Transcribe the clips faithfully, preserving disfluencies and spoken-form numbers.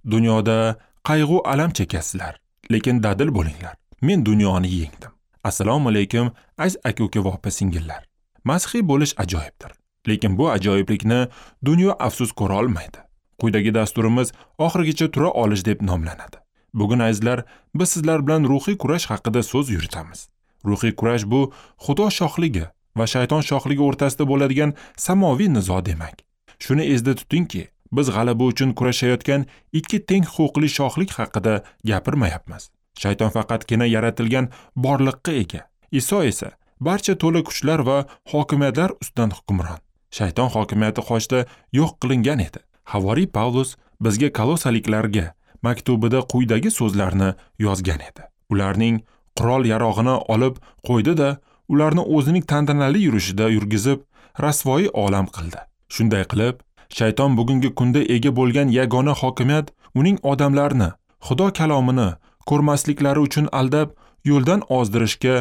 Dunyoda qayg'u alam chekasizlar, lekin dadil bo'linglar. Men dunyoni yengdim. Assalomu alaykum, aziz aka-uka va opa-singillar. Masihiy bo'lish ajoyibdir, lekin bu ajoyiblikni dunyo afsus ko'ra olmaydi. Quyidagi dasturimiz oxirigacha tura olish deb nomlanadi. Bugun azizlar, biz sizlar bilan ruhiy kurash haqida so'z yuritamiz. Ruhiy kurash bu Xudo shohligi va shayton shohligi o'rtasida bo'ladigan samoviy nizo demak. Shuni esda tutingki, biz g'alaba uchun kurashayotgan ikki teng huquqli shohlik haqida gapirmayapmiz. Shayton faqatgina yaratilgan borliqqa ega. Iso esa barcha to'la kuchlar va hokimiyatlar ustidan hukmron. Shayton hokimiyati qochda yo'q qilingan edi. Havoriy Pavlus bizga Kolosaliklarga maktubida quyidagi so'zlarni yozgan edi. Ularning qurol-yarog'ini olib qo'ydi-da, ularni o'zining tantanali yurishida yurgizib, rasvoyi olam qildi. Shunday qilib, shayton bugungi kunda ega bo'lgan yagona hokimiyat uning odamlarni Xudo kalomini ko'rmasliklari uchun aldab, yo'ldan ozdirishga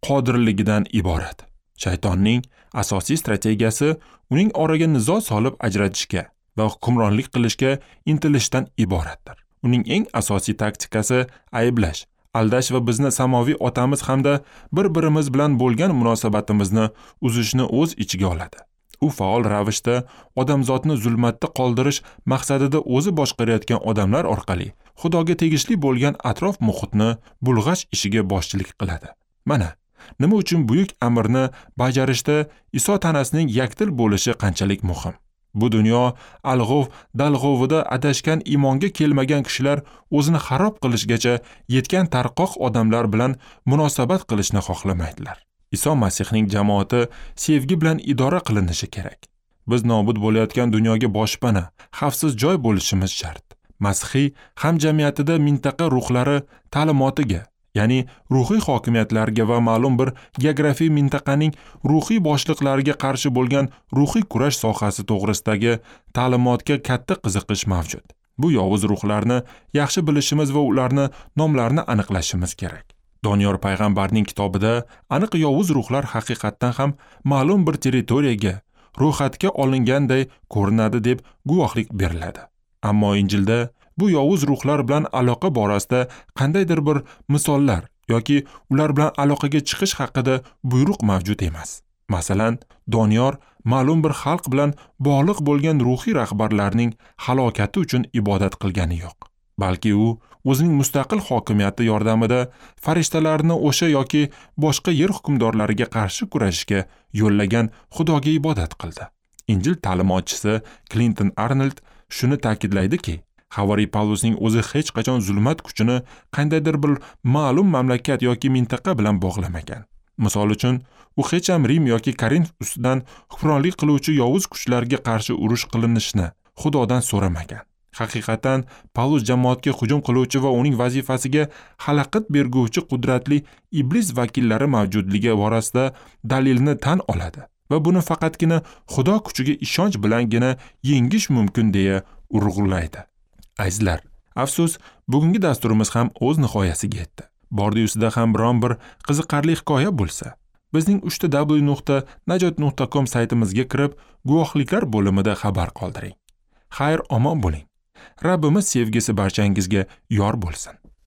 qodirligidan iborat. Shaytonning asosiy strategiyasi uning oraga nizo solib ajratishga va hukmronlik qilishga intilishdan iboratdir. Uning eng asosiy taktikasi ayblash, aldash va bizni samoviy otamiz hamda bir-birimiz bilan bo'lgan munosabatimizni uzishni o'z ichiga oladi. U faol ravishda odamzodni zulmatda qoldirish maqsadida o'zi boshqarayotgan odamlar orqali Xudoga tegishli bo'lgan atrof muhitni bulg'ash ishiga boshchilik qiladi. Mana nima uchun buyuk amirni bajarishda Iso tanasining yakdil bo'lishi qanchalik muhim. Bu dunyo alg'ov dalg'ovida adashgan iymonga kelmagan kishilar o'zini xarob qilishgacha yetgan tarqoq odamlar bilan munosabat qilishni xohlamaydilar. Iso Masihning jamoati sevgi bilan idora qilinishi kerak. Biz nobud bo'layotgan dunyoga boshpana, xavfsiz joy bo'lishimiz shart. Masihiy hamjamiyatida mintaqa ruhlari ta'limotiga, ya'ni ruhiy hokimiyatlarga va ma'lum bir geografiy mintaqaning ruhiy boshliqlariga qarshi bo'lgan ruhiy kurash sohasi to'g'risidagi ta'limotga katta qiziqish mavjud. Bu yovuz ruhlarni yaxshi bilishimiz va ularni nomlarini aniqlashimiz kerak. Doniyor payg'ambarning kitobida aniq yovuz ruhlar haqiqatdan ham ma'lum bir territoriyaga ro'yxatga olinganday ko'rinadi deb guvohlik beriladi. Ammo Injilda bu yovuz ruhlar bilan aloqa borasida qandaydir bir misollar yoki ular bilan aloqaga chiqish haqida buyruq mavjud emas. Masalan, Doniyor ma'lum bir xalq bilan bog'liq bo'lgan ruhiy rahbarlarning halokati uchun ibodat qilgani yo'q. Balki u o'zining mustaqil hokimiyati yordamida farishtalarni o'sha yoki boshqa yer hukmdorlariga qarshi kurashishga yo'llagan Xudoga ibodat qildi. Injil ta'limotchisi Klinton Arnold shuni ta'kidlaydiki, Havoriy Pavlusning o'zi hech qachon zulmat kuchini qandaydir bir ma'lum mamlakat yoki mintaqa bilan bog'lamagan. Misol uchun, u hech ham Rim yoki Korinf ustidan hukmronlik qiluvchi yovuz kuchlarga qarshi urush qilinishini Xudodan so'ramagan. Haqiqatan, Pavlus jamoatga hujum qiluvchi va uning vazifasiga xalaqit berguvchi qudratli iblis vakillari mavjudligi borasida dalilni tan oladi va buni faqatgina Xudo kuchiga ishonch bilangina yengish mumkin deya urg'ulaydi. Azizlar, afsus, bugungi dasturimiz ham o'z nihoyasiga yetdi. Bordi-yusida ham biron bir qiziqarli hikoya bo'lsa, bizning uchta w nuqta najot nuqta com saytimizga kirib, guvohliklar bo'limida xabar qoldiring. Xayr, omon bo'ling. Rabbimiz sevgisi barchangizga yor bo'lsin.